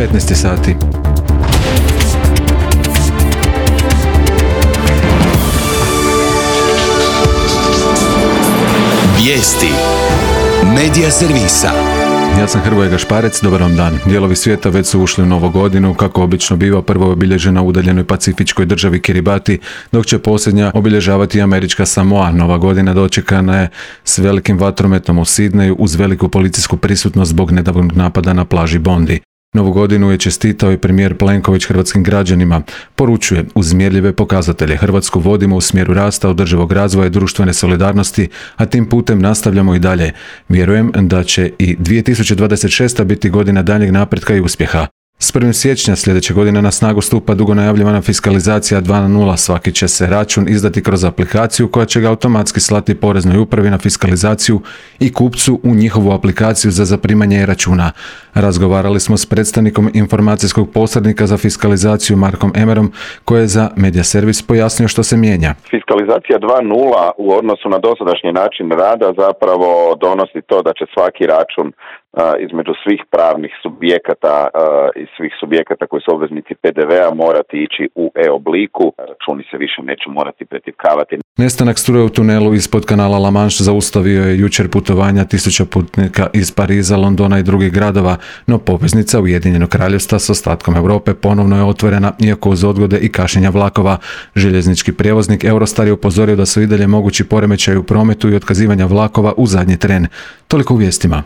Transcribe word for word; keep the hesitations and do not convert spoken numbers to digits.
petnaest je sati. Vijesti Medija servisa. Ja sam Hrvoje Gašparec, dobar vam dan. Dijelovi svijeta već su ušli u novu godinu, kako obično biva, prvo je obilježena u udaljenoj pacifičkoj državi Kiribati, dok će posljednja obilježavati američka Samoa. Nova godina dočekana je s velikim vatrometom u Sidneju uz veliku policijsku prisutnost zbog nedavnog napada na plaži Bondi. Novu godinu je čestitao i premijer Plenković hrvatskim građanima. Poručuje, uz mjerljive pokazatelje Hrvatsku vodimo u smjeru rasta, održivog razvoja i društvene solidarnosti, a tim putem nastavljamo i dalje. Vjerujem da će i dvije tisuće dvadeset šesta biti godina daljnjeg napretka i uspjeha. S prvim siječnja sljedeće godine na snagu stupa dugo najavljivana fiskalizacija dva nula. Svaki će se račun izdati kroz aplikaciju koja će ga automatski slati Poreznoj upravi na fiskalizaciju i kupcu u njihovu aplikaciju za zaprimanje računa. Razgovarali smo s predstavnikom informacijskog posrednika za fiskalizaciju Markom Emerom, koji je za Medija servis pojasnio što se mijenja. Fiskalizacija dva nula u odnosu na dosadašnji način rada zapravo donosi to da će svaki račun između svih pravnih subjekata i svih subjekata koji su obveznici P D V-a morati ići u e-obliku. Računi se više neće morati pretipkavati. Nestanak struje u tunelu ispod kanala La Manche zaustavio je jučer putovanja tisuća putnika iz Pariza, Londona i drugih gradova, no poveznica Ujedinjenog Kraljevstva s ostatkom Europe ponovno je otvorena, iako uz odgode i kašnjenja vlakova. Željeznički prijevoznik Eurostar je upozorio da su i dalje mogući poremećaji u prometu i otkazivanja vlakova u zadnji tren. Toliko u vijestima.